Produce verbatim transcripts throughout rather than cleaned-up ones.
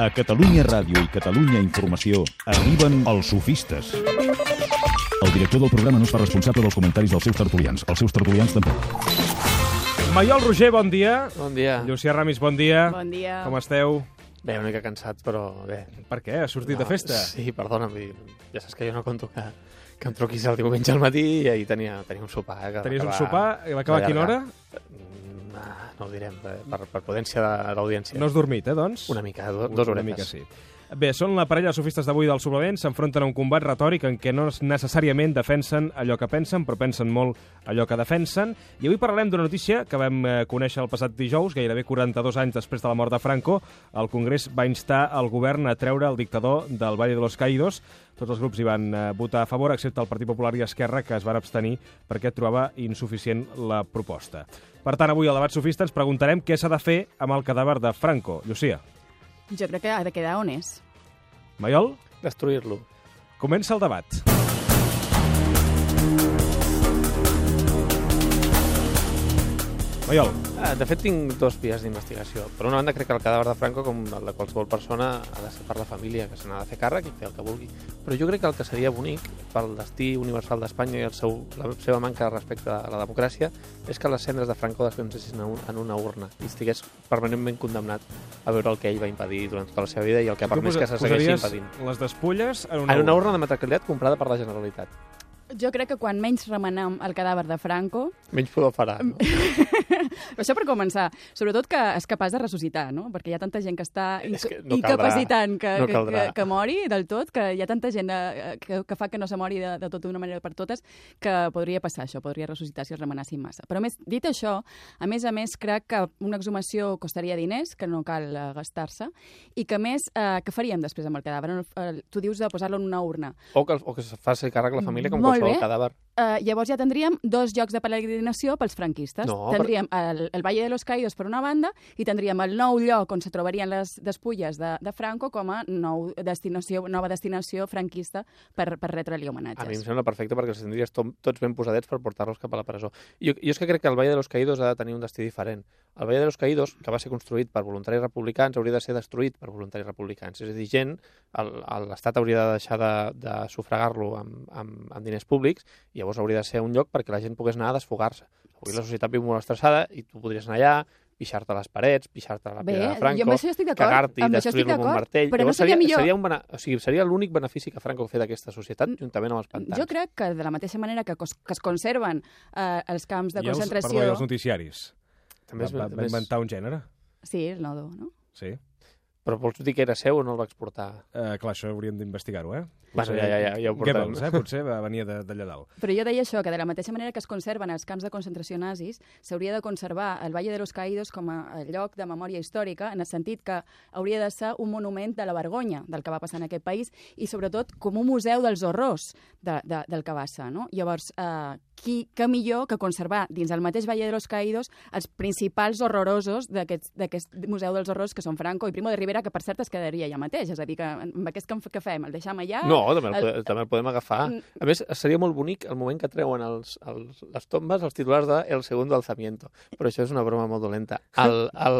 A Catalunya Ràdio i Catalunya Informació arriben els sofistes. El director del programa no es fa responsable dels comentaris dels seus tertulians. Els seus tertulians tampoc. Maiol Roger, bon dia. Bon dia. Llucià Ramis, bon dia. Bon dia. Com esteu? Bé, una mica cansats, però bé. Per què? Has sortit no, de festa? Sí, perdona'm. Ja saps que jo no conto que, que em truquis el diumenge al matí i ahir tenia, tenia un sopar. Eh, que Tenies va un sopar? I va acabar a quina hora? No, no ho direm, per, per prudència de l'audiència. No has dormit, eh, doncs? Una mica, do, dos horetes. Una mica, sí. Bé, són la parella de sofistes d'avui del suplement, s'enfronten a un combat retòric en què no necessàriament defensen allò que pensen, però pensen molt allò que defensen. I avui parlarem d'una notícia que vam conèixer el passat dijous, gairebé quaranta-dos anys després de la mort de Franco. El Congrés va instar el govern a treure el dictador del Valle de los Caídos. Tots els grups hi van votar a favor, excepte el Partit Popular i Esquerra, que es van abstenir perquè trobava insuficient la proposta. Per tant, avui al debat sofista ens preguntarem què s'ha de fer amb el cadàver de Franco. Llucia. Jo crec que ha de quedar on és. Maiol? Destruir-lo. Comença el debat. Maiol. De fet, tinc dos vies d'investigació. Per una banda, crec que el cadàver de Franco, com el de qualsevol persona, ha de ser per la família, que se n'ha de fer càrrec i fer el que vulgui. Però jo crec que el que seria bonic pel destí universal d'Espanya i el seu, la seva manca de respecte a la democràcia és que les cendres de Franco descansessin en una urna i estigués permanentment condemnat a veure el que ell va impedir durant tota la seva vida i el que ha permès que se segueixi impedint. Les despulles en una, en una urna de matricalitat comprada per la Generalitat. Jo crec que quan menys remenem el cadàver de Franco... Menys pudor farà, no? Això per començar. Sobretot que és capaç de ressuscitar, no? Perquè hi ha tanta gent que està inc que no incapacitant que, no que, que, que mori del tot, que hi ha tanta gent eh, que, que fa que no se mori de, de tot d'una manera per totes, que podria passar això, podria ressuscitar si els remenassin massa. Però a més, dit això, a més a més, crec que una exhumació costaria diners, que no cal eh, gastar-se, i que a més, eh, què faríem després amb el cadàver? Eh, tu dius de posar-lo en una urna. O que, o que es faci càrrec la família com Molt qualsevol bé. cadàver. Uh, llavors ja tindríem dos llocs de peregrinació pels franquistes. No, tindríem el, el Valle de los Caídos per una banda i tindríem el nou lloc on se trobarien les despulles de, de Franco com a nou destinació, nova destinació franquista per, per retre-li homenatges. A mi em sembla perfecte perquè els tindries to tots ben posadets per portar-los cap a la presó. Jo, jo és que crec que el Valle de los Caídos ha de tenir un destí diferent. El Valle de los Caídos, que va ser construït per voluntaris republicans, hauria de ser destruït per voluntaris republicans. És a dir, gent, l'Estat hauria de deixar de, de sufragar-lo amb, amb, amb diners públics i llavors hauria de ser un lloc perquè la gent pogués anar a desfogar-se. Avui la societat viu molt estressada i tu podries anar allà, pixar-te les parets, pixar-te la pedra de Franco, cagar-t'hi, destruir-lo amb un martell. Però llavors no seria, seria, millor... seria, un bena... o sigui, seria l'únic benefici que Franco va fer d'aquesta societat, juntament amb els pantans. Jo crec que de la mateixa manera que, cos, que es conserven eh, els camps de I els, concentració... Perdó, i els noticiaris. També va, va, va inventar un gènere. Sí, el nodo, no? Sí. Però vols dir que era seu o no el va exportar? Uh, clar, això hauríem d'investigar-ho, eh? Bueno, ja, ja, ja, ja ho portem. Goebbels, eh? Potser venia d'allà dalt. Però jo deia això, que de la mateixa manera que es conserven els camps de concentració nazis, s'hauria de conservar el Valle de los Caídos com a lloc de memòria històrica, en el sentit que hauria de ser un monument de la vergonya del que va passar en aquest país i, sobretot, com un museu dels horrors de, de, del que va ser, no? Llavors, eh, qui, que millor que conservar dins el mateix Valle de los Caídos els principals horrorosos d'aquest museu dels horrors que són Franco i Primo de Rivera, que per cert es quedaria allà mateix, és a dir, que amb aquest que fem, el deixem allà... No, també el, el... també el podem agafar. A més, seria molt bonic el moment que treuen els, els, les tombes, els titulars de El segundo alzamiento, però això és una broma molt dolenta. El, el...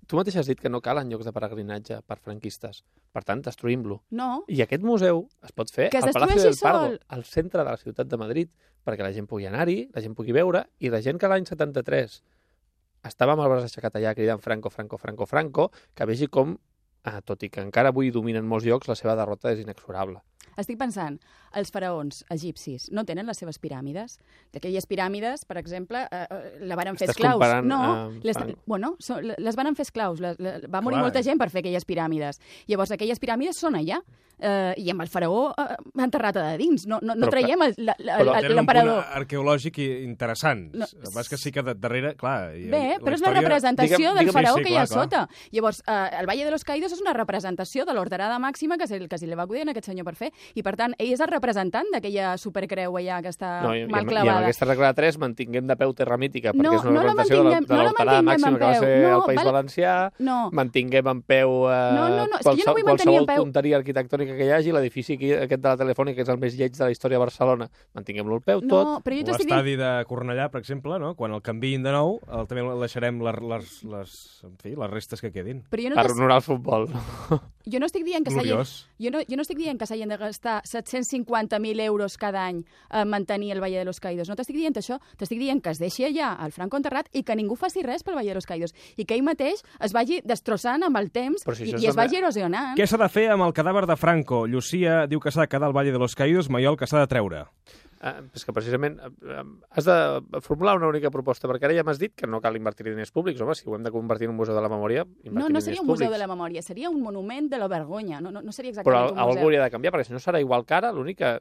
Tu mateix has dit que no calen llocs de peregrinatge per franquistes, per tant, destruïm-lo. No. I aquest museu es pot fer al Palacio del Pardo, al centre de la ciutat de Madrid, perquè la gent pugui anar-hi, la gent pugui veure, i la gent que l'any setanta-tres estava amb el braç aixecat allà cridant Franco, Franco, Franco, Franco, que vegi com, ah, tot i que encara avui dominen molts llocs, la seva derrota és inexorable. Estic pensant, els faraons egipcis no tenen les seves piràmides? Aquelles piràmides, per exemple, eh, la van fer esclaus. No, uh, les, bueno, so, les van fer esclaus. Les, les, va morir Clar. molta gent per fer aquelles piràmides. Llavors, aquelles piràmides són allà. Eh, I amb el faraó eh, enterrat a dins. No, no, no traiem l'emperador. Un punt arqueològic interessant. No, Vas que sí que darrere, clar... Bé, la però és la representació digue'm, del faraó sí, que hi ha clar, sota. Clar. Llavors, eh, el Valle de los Caídos és una representació de l'orderada màxima que se, que se li va acudir a aquest senyor per fer. I, per tant, ell és el representant d'aquella supercreu allà que està no, i, mal clavada. I amb aquesta regla de tres mantinguem de peu terra mítica, perquè no, és una no representació de l'orderada no màxima que va ser no, el País val... Valencià, no. mantinguem en peu eh, no, no, no. qualsevol, no qualsevol peu. tonteria arquitectònica arquitectònica que hi hagi, l'edifici aquest de la Telefònica, que és el més lleig de la història de Barcelona, mantinguem-lo al peu, tot. No, però jo O t'estic dient... l'estadi de Cornellà, per exemple, no? Quan el canviïn de nou, el, també el deixarem les, les, les, en fi, les restes que quedin. Però jo no, Per t'es- honorar el futbol. jo no estic dient que s'hagin... Gloriós. Jo no, jo no estic dient que s'hagin de gastar set-cents cinquanta mil euros cada any a mantenir el Valle de los Caídos. No t'estic dient això. T'estic dient que es deixi allà el Franco enterrat i que ningú faci res pel Valle de los Caídos. I que ell mateix es vagi destrossant amb el temps Però si i, això i és es també- vagi erosionant. Què s'ha de fer amb el cadàver de Franco? Llucia diu que s'ha de quedar al Valle de los Caídos, Maiol que s'ha de treure. Ah, és que precisament eh, has de formular una única proposta, perquè ara ja m'has dit que no cal invertir diners públics. Home, si ho hem de convertir en un museu de la memòria, invertir No, no diners seria un museu públics. de la memòria, seria un monument de la vergonya. No, no, no seria Però exactament un algú museu. hauria de canviar, perquè si no serà igual que ara, l'únic que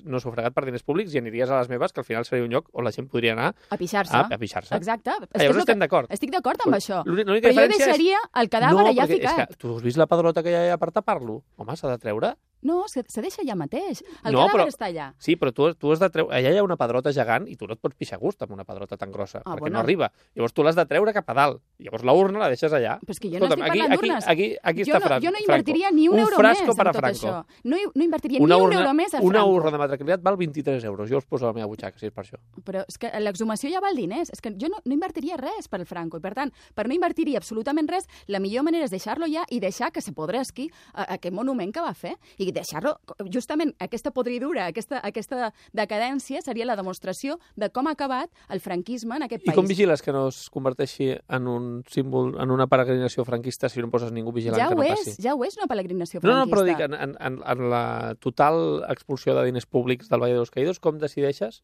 no s'ha fregat per diners públics i aniries a les meves, que al final seria un lloc on la gent podria anar A pixar-se. a, a pixar-se. Exacte. És Ah, que és llavors el que- estem d'acord. Estic d'acord amb això. L'única l'única Però jo diferència és- deixaria el cadàver no, allà perquè ficat. És que tu has vist la pedrota que hi ha allà per tapar-lo? Home, s'ha de treure. No, se, se deixa allà mateix. El No, cadàver però- està allà. Sí, però tu, tu has de treure... Allà hi ha una pedrota gegant i tu no et pots pixar a gust amb una pedrota tan grossa, Ah, perquè bueno. no arriba. Llavors tu l'has de treure cap a dalt. Llavors la urna la deixes allà. Però és que jo no estic aquí, parlant aquí, d'urnes. aquí, aquí jo està no, Fran, jo no Franco. invertiria ni un, un euro frasco més per a en tot Franco. això. No, hi- no invertiria Una ni un urna, euro més a una Franco. urna de matriculatat val vint-i-tres euros. Jo us poso a la meva butxaca, si és per això. Però és que l'exhumació ja val diners. És que jo no, no invertiria res per el Franco. I, per tant, per no invertir-hi absolutament res, la millor manera és deixar-lo ja i deixar que se podresqui a, a aquest monument que va fer. I deixar-lo, justament, aquesta podridura, aquesta, aquesta decadència seria la demostració de com ha acabat el franquisme en aquest I país. com vigiles que no es converteixi en un símbol, en una peregrinació franquista si no poses ningú vigilant ja que ho no és, passi? ja ho és una peregrinació No, no, franquista. però dic, en, en, en, en la total expulsió de diners públics del Valle de los Caídos, com decideixes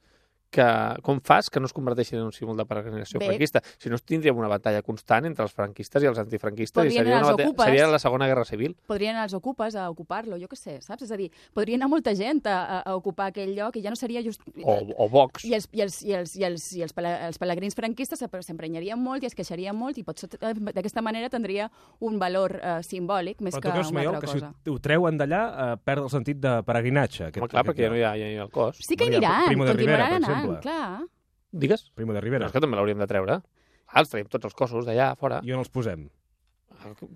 que, com fas que no es converteixin en un símbol de peregrinació Bé. franquista? Si no, tindríem una batalla constant entre els franquistes i els antifranquistes i Podrien seria, anar una els batalla, ocupes. seria la Segona Guerra Civil. Podrien anar els ocupes a ocupar-lo, jo què sé, saps? És a dir, podria anar molta gent a, a, a ocupar aquell lloc i ja no seria just... O, o Vox. I els, i els, i els, i els, i els, pele- els pelegrins franquistes se- s'emprenyarien molt i es queixarien molt i potser eh, d'aquesta manera tindria un valor eh, simbòlic més Però que tu creus, una Maiol, altra que si cosa. ho, ho treuen d'allà eh, perd el sentit de peregrinatge. Aquest, Home, clar, aquest perquè ja lloc. no hi ha, ja hi ha el cos. Sí que hi Bueno, hi ha aniran, Primo de Rivera, continuaran per anant, exemple. clar. Digues? Primo de Però Rivera. és que també l'hauríem de treure. Ah, els traiem tots els cossos d'allà, fora. I on els posem?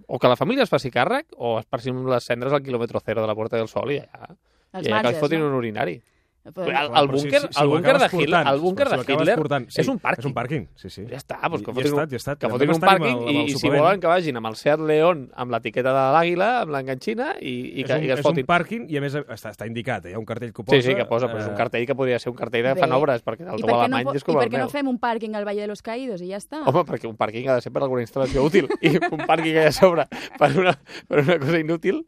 O que la família es faci càrrec, o esparcim les cendres al quilòmetre zero de la Puerta del Sol i allà. Els I allà que marges, els fotin no? un urinari. Però- El, Clar, el però si- búnquer, si- si el ho búnquer de acabes Hitler, portant, el búnquer si de ho acabes Hitler portant, sí, és un pàrquing. És un pàrquing, sí, sí. Ja està, doncs que I- i fotin, ja un, està, ja està. que Vam fotin un estar amb pàrquing el- amb i, el i si suplement. volen que vagin amb el Seat León amb l'etiqueta de l'àguila, amb l'enganxina i, i, És que, un, i que es és un fotin. pàrquing i a més està, està indicat, eh? Hi ha un cartell que ho posa. Sí, sí, que posa, però és un eh, cartell que podria ser un cartell de Bé. fan obres, perquè el I teu per què no, alemany po- és com i per el què no meu. fem un pàrquing al Valle de los Caídos i ja està? Home, perquè un pàrquing ha de ser per alguna instal·lació útil i un pàrquing allà a sobre per una, per una cosa inútil.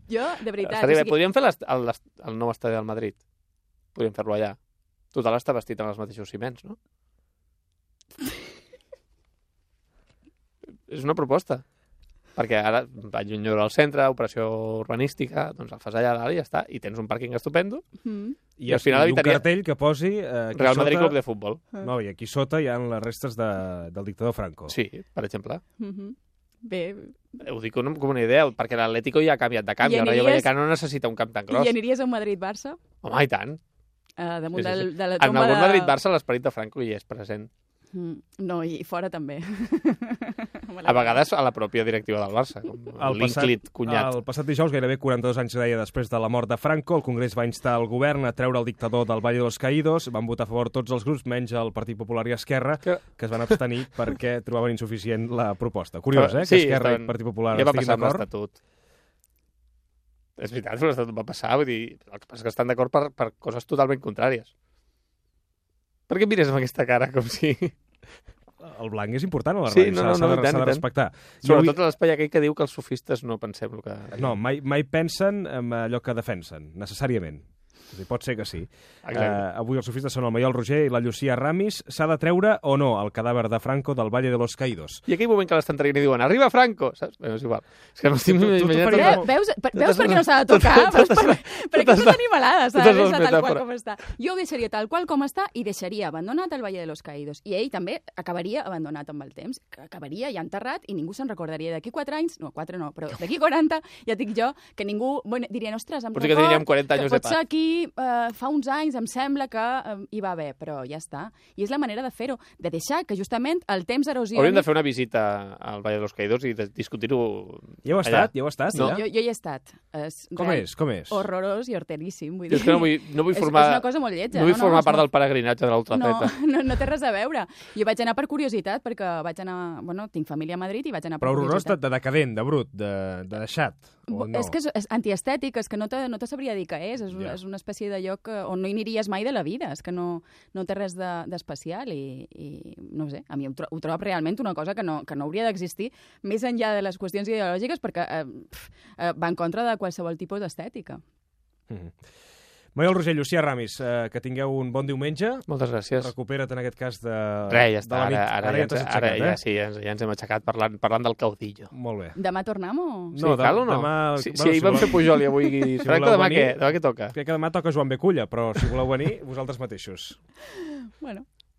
Jo, de veritat... Estaria o bé. sigui, Podríem fer l'est- el, el nou estadi del Madrid. Podríem fer-lo allà. Total, està vestit amb els mateixos ciments, no? És una proposta. Perquè ara vaig un lloc al centre, operació urbanística, doncs el fas allà a dalt i ja està. I tens un pàrquing estupendo. mm. I, I al final i un evitaria- cartell que posi... Eh, aquí Real Madrid sota... Club de Futbol. No, i aquí sota hi ha les restes de, del dictador Franco. Sí, per exemple. Mhm. Bé, Ho dic com com una idea, perquè l'Atlético ja ha canviat de camp i I el Rayo aniries- Vallecano no necessita un camp tan i gros. aniries a un Madrid-Barça? Home, i tant. Uh, damunt Sí, sí, sí. del, de la En tomba algun de... Madrid-Barça l'esperit de Franco hi és present. Mm, no, i fora també. A vegades a la pròpia directiva del Barça, com El passat, l'Inclit, cunyat. el passat dijous, gairebé quaranta-dos anys deia després de la mort de Franco, el Congrés va instar el govern a treure el dictador del Valle de los Caídos. Van votar a favor tots els grups, menys el Partit Popular i Esquerra, Que- que es van abstenir perquè trobaven insuficient la proposta. Curiós, eh? Sí, que Esquerra estaven- i Partit Popular Ja va estiguin passar amb d'acord. l'Estatut. És veritat, l'Estatut va passar, vull dir, el que passa és que estan d'acord per, per coses totalment contràries. Per què em mires amb aquesta cara, com si... El blanc és important a la Sí, ràdio, no, no, s'ha no, de, i tant, s'ha de i tant. respectar. Jo Sobretot vull- a l'espai aquell que diu que els sofistes no pensem el que... No, mai, mai pensen en allò que defensen, necessàriament. És a dir, pot ser que sí. Exacte. Uh, avui els sofistes són el Maiol Roger i la Llucia Ramis. S'ha de treure o no el cadàver de Franco del Valle de los Caídos? I aquell moment que l'estan traient i diuen «Arriba Franco!» Saps? Bé, és igual. És que no estic Tu- tu- tu imaginant... faries- Eh, tota- veus, per, veus totes per què no les- s'ha de tocar? totes- Veus totes per, les- per totes aquestes les- animalades s'ha totes de les deixar tal qual metàfores. com està. Jo ho deixaria tal qual com està i deixaria abandonat el Valle de los Caídos. I ell també acabaria abandonat amb el temps, que acabaria ja enterrat i ningú se'n recordaria. D'aquí quatre anys, no, quatre no, però d'aquí quaranta, ja dic jo, que ningú bueno, diria, ostres, em Potser que record tindríem quaranta anys que de potser paz. aquí sí, eh, fa uns anys em sembla que eh, hi va haver, però ja està. I és la manera de fer-ho, de deixar que justament el temps erosioni... Hauríem de fer una visita al Valle de los Caídos i de discutir-ho Ja heu allà. estat? Ja heu estat? No. allà? Jo, jo hi he estat. És Com real- és? Com és? Horrorós i horteríssim. Vull Jo dir. és que no vull, no vull És- formar... és una cosa molt lletja, No vull no, no, formar és part molt- del peregrinatge de No, l'ultrafeta. no, no té res a veure. Jo vaig anar per curiositat, perquè vaig anar... Bueno, tinc família a Madrid i vaig anar per Però horrorós de, curiositat. de decadent, de brut, de, de deixat. O no? És que és, és antiestètic, és que no te, no te sabria dir què és. És, una, Ja. és una espècie de lloc eh, on no hi aniries mai de la vida. És que no, no té res de- d'especial i, i, no ho sé, a mi ho, tro ho trobo realment una cosa que no, que no hauria d'existir més enllà de les qüestions ideològiques perquè eh, pf, eh, va en contra de qualsevol tipus d'estètica. Mhm. Manuel Roger, Llucia Ramis, eh, que tingueu un bon diumenge. Moltes gràcies. Recupera't en aquest cas de, Res, ja de està. la nit. Ara, ara, Ara ja, ja t'has ens, aixecat, ara ja, eh? sí, ja, ens, ja ens hem aixecat parlant, parlant del caudillo. Molt bé. Demà tornem o...? Sí, No, cal o no? demà... Sí, bueno, sí, ahir si vam voleu- fer Pujol i avui Franco, voleu demà venir- què? Demà què toca? Crec que demà toca Joan Beculla, però si voleu venir, vosaltres mateixos. Bueno.